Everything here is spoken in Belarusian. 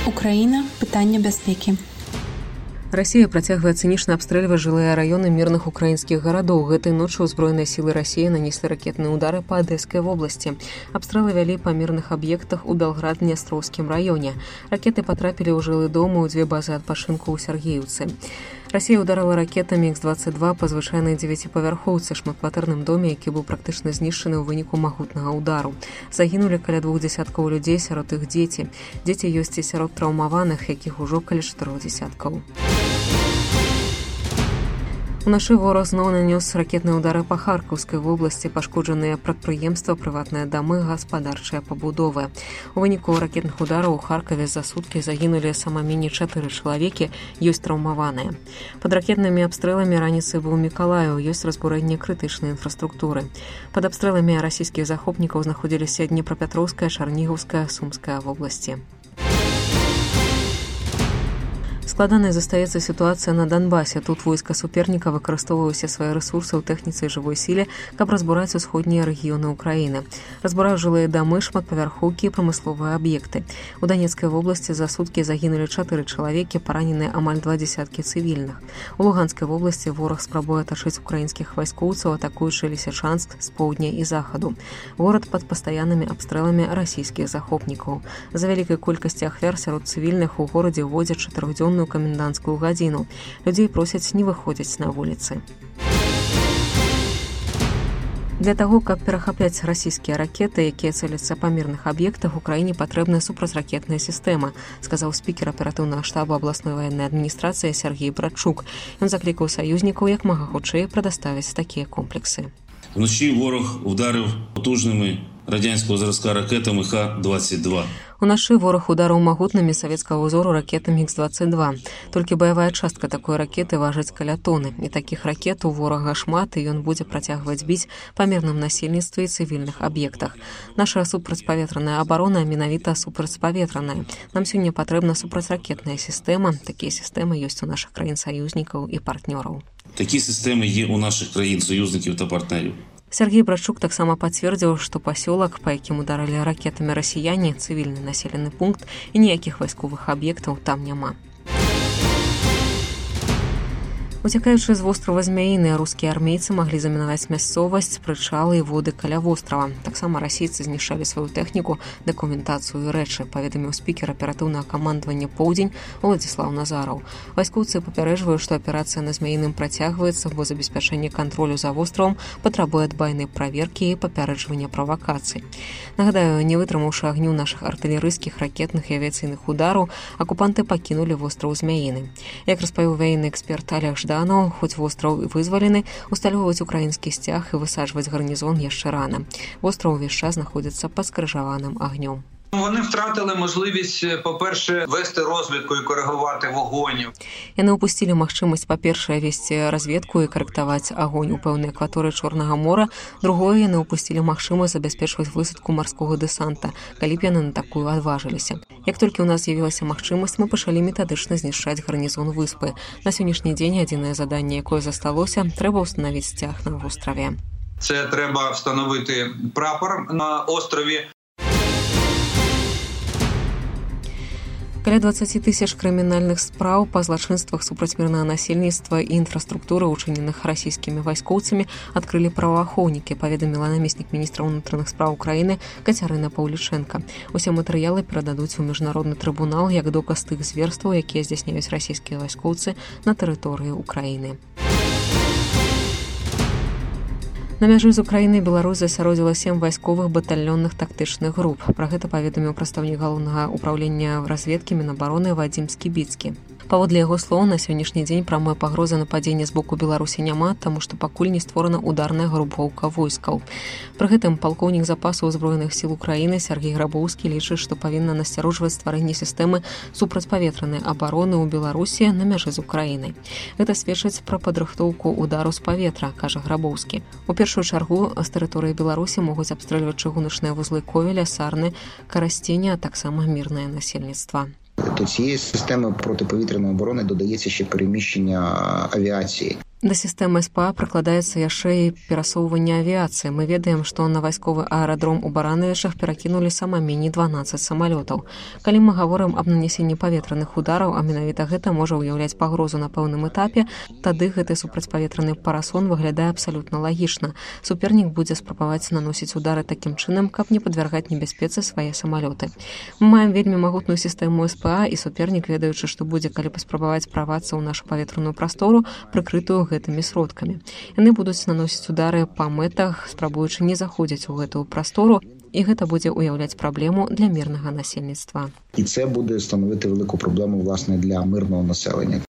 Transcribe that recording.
Украіна. Пытанне бяспекі. Расія працягвае цынічна абстрэльваць жылыя раёны мірных украінскіх гарадоў. Гэтай ноччу ўзброеныя сілы Расіі нанеслі ракетныя ўдары па Адэскай вобласці. Абстрэлы вялі па мірных аб'ектах у Белград-Днястроўскім раёне. Ракеты патрапілі ў жылы дом у 2 базы адпачынку ў Сергеевцы. Расія ўдарыла ракетамі Х-22 па звычайнай 9павярхоўцы шматкватэрным доме, які быў практычна знішчаны ў выніку магутнага ўдару. Загінулі каля 2 дзесяткаў людзей, сярод іх дзеці. Дзеці ёсць і сярод траўмаваных, якіх ужо каля 4 дзесяткаў. Уначы вораг зноў нанёс ракетныя ўдары па Харкаўскай вобласці, пашкоджаныя прадпрыемства, прыватныя дамы, гаспадарчыя пабудовы. У выніку ракетных удараў у Харкаве за суткі загінулі самамінні 4 чалавекі, ёсць траўмаваныя. Пад ракетнымі абстрэламі раніцай быў Мікалаеў, ёсць разбурэнне крытычнай інфраструктуры. Пад абстрэламі расійскіх захопнікаў знаходзіліся Днепрапетроўская, Чарнігаўская, Сумская вобласці. Складанай застаецца сітуацыя на Донбасе. Тут войска суперніка выкарыстоўвае ўсе свае рэсурсы ў тэхніцы і жывой сіле, каб разбураць усходнія рэгіёны ўкраіны. Разбураюць жылыя дамы, шматпавярхоўкі і прамысловыя аб'екты. У Данецкай вобласці за суткі загінулі 4 чалавекі, параненыя амаль 2 дзесяткі цывільных. У Луганскай вобласці вораг спрабуе атачыць украінскіх вайскоўцаў, атакуючы Лісічанск з поўдня і захаду. Горад пад пастаяннымі абстрэламі расійскіх захопнікаў. За вялікай колькасці ахвяр сярод цывільных у горадзе ўводзяць 4-дзённую каменданцкую гадзіну. Людзей просяць не выходзіць на вуліцы. Для таго, каб перахапляць расійскія ракеты, якія цэляцца па мірных аб'ектах, Украіне патрэбная супрацьракетная сістэма, сказаў спікер аператыўнага штаба абласной ваеннай адміністрацыі Сергей Братчук. Ён заклікаў саюзнікаў як мага хутчэй прадаставіць такія комплексы. Вночі ворог ударив потужними радянського зразка ракетами Х-22. Уначы вораг ударыў магутнымі савецкага ўзору ракетамі Х-22. Толькі баявая частка такой ракеты важыць каля тоны. І такіх ракет у ворага шмат, і ён будзе працягваць біць па мірным насельніцтве і цывільных аб'ектах. Наша супрацьпаветраная абарона менавіта супрацьпаветраная. Нам сёння патрэбна супрацьракетная сістэма. Такія сістэмы ёсць у нашых краін-саюзнікаў і партнёраў. Такі сістеми є у наших країн-союзників та партнерів. Сергей Братчук таксама пацвердзіў, што пасёлак, па якім ударылі ракетамі расіяне, цывільны населены пункт і ніякіх вайсковых аб'ектаў там няма. Уцякаючы з вострава Змяіны, рускія армейцы маглі замінаваць мясцовасць, прычалы і воды каля вострава. Таксама расійцы знішчалі сваю тэхніку, дакументацыю і рэчы, паведаміў спікер аператыўнага камандавання «Поўдзень» Уладзіслаў Назараў. Вайскоўцы папярэджваюць, што аперацыя на Змяіным працягваецца, бо забеспячэнне кантролю за востравам патрабуе дбайнай праверкі і папярэджвання правакацый. Нагадаю, не вытрымаўшы агню нашых артылерыйскіх, ракетных і авіяцыйных удараў, акупанты пакінулі востраў Змяіны. Як распавіў ваенны эксперт Олег Жданов, хоць востраў вызвалены, усталёўваць украінскі сцяг і высаджваць гарнізон яшчэ рана. Востраў увесь час знаходзіцца пад скрыжаваным агнём. Вони втратили можливість, по-перше, вести розвідку і коригувати вогонь. Яны ўпусцілі магчымасць, па-першае, весці разведку і карэктаваць агонь у пэўнай акваторыі Чорнага мора. Другое, яны ўпусцілі магчымасць забяспечваць высадку марскога дэсанта, калі б яны на такую адважыліся. Як толькі ў нас з'явілася магчымасць, мы пачалі метадычна знішчаць гарнізон выспы. На сённяшні дзень адзінае заданне, якое засталося, трэба ўстанавіць сцяг на востраве. Це треба встановити прапор на острові. Каля 20 тысяч крымінальных спраў па злачынствах супраць мірнага насельніцтва і інфраструктуры, учыненых расійскімі вайскоўцамі, адкрылі праваахоўнікі, паведаміла намеснік міністра ўнутраных спраў Украіны Кацярына Паўлічэнка. Усе матэрыялы перададуць у міжнародны трыбунал як доказ тых зверстваў, якія здзяйсняюць расійскія вайскоўцы на тэрыторыі Украіны. На мяжы з Украінай Беларусь засяродзіла 7 вайсковых батальённых тактычных груп. Пра гэта паведаміў прадстаўнік галоўнага ўпраўлення разведкі Мінабароны Вадзім Скібіцкі. Паводле яго слоў, на сённяшні дзень прамой пагрозы нападзення з боку Беларусі няма, таму што пакуль не створана ударная групоўка войскаў. Пры гэтым палкоўнік запасаў узброеных сіл Украіны Сергей Грабоўскі лічыць, што павінна насцярожваць стварэнне сістэмы супрацьпаветранай абароны ў Беларусі на мяжы з Украінай. Гэта сведчыць пра падрыхтоўку удару з паветра, кажа Грабоўскі. У першую чаргу з тэрыторыі Беларусі могуць абстрэльваць чыгуначныя вузлы Ковеля, Сарны, Карасценя, а таксама мірнае насельніцтва. До цієї системи протиповітряної оборони додається ще переміщення авіації. Да сістэмы СПА прыкладаецца яшчэ і перасоўванне авіяцыі. Мы ведаем, што на вайсковы аэрадром у Баранавічах перакінулі сама меней 12 самалётаў. Калі мы гаворым аб нанесенні паветраных удараў, а менавіта гэта можа ўяўляць пагрозу на пэўным этапе, тады гэты супрацьпаветраны парасон выглядае абсалютна лагічна. Супернік будзе спрабаваць наносіць удары такім чынам, каб не падвяргаць небяспецы свае самалёты. Мы маем вельмі магутную сістэму СПА, і супернік, ведаючы, што будзе калі паспрабаваць правацца ў нашу паветраную прастору, прыкрытую гэтымі сродкамі. Яны будуць наносіць удары па мэтах, спрабуючы не заходзіць у гэтую прастору, і гэта будзе ўяўляць праблему для мірнага насельніцтва. І це буде становити велику проблему, власне, для мирного населення.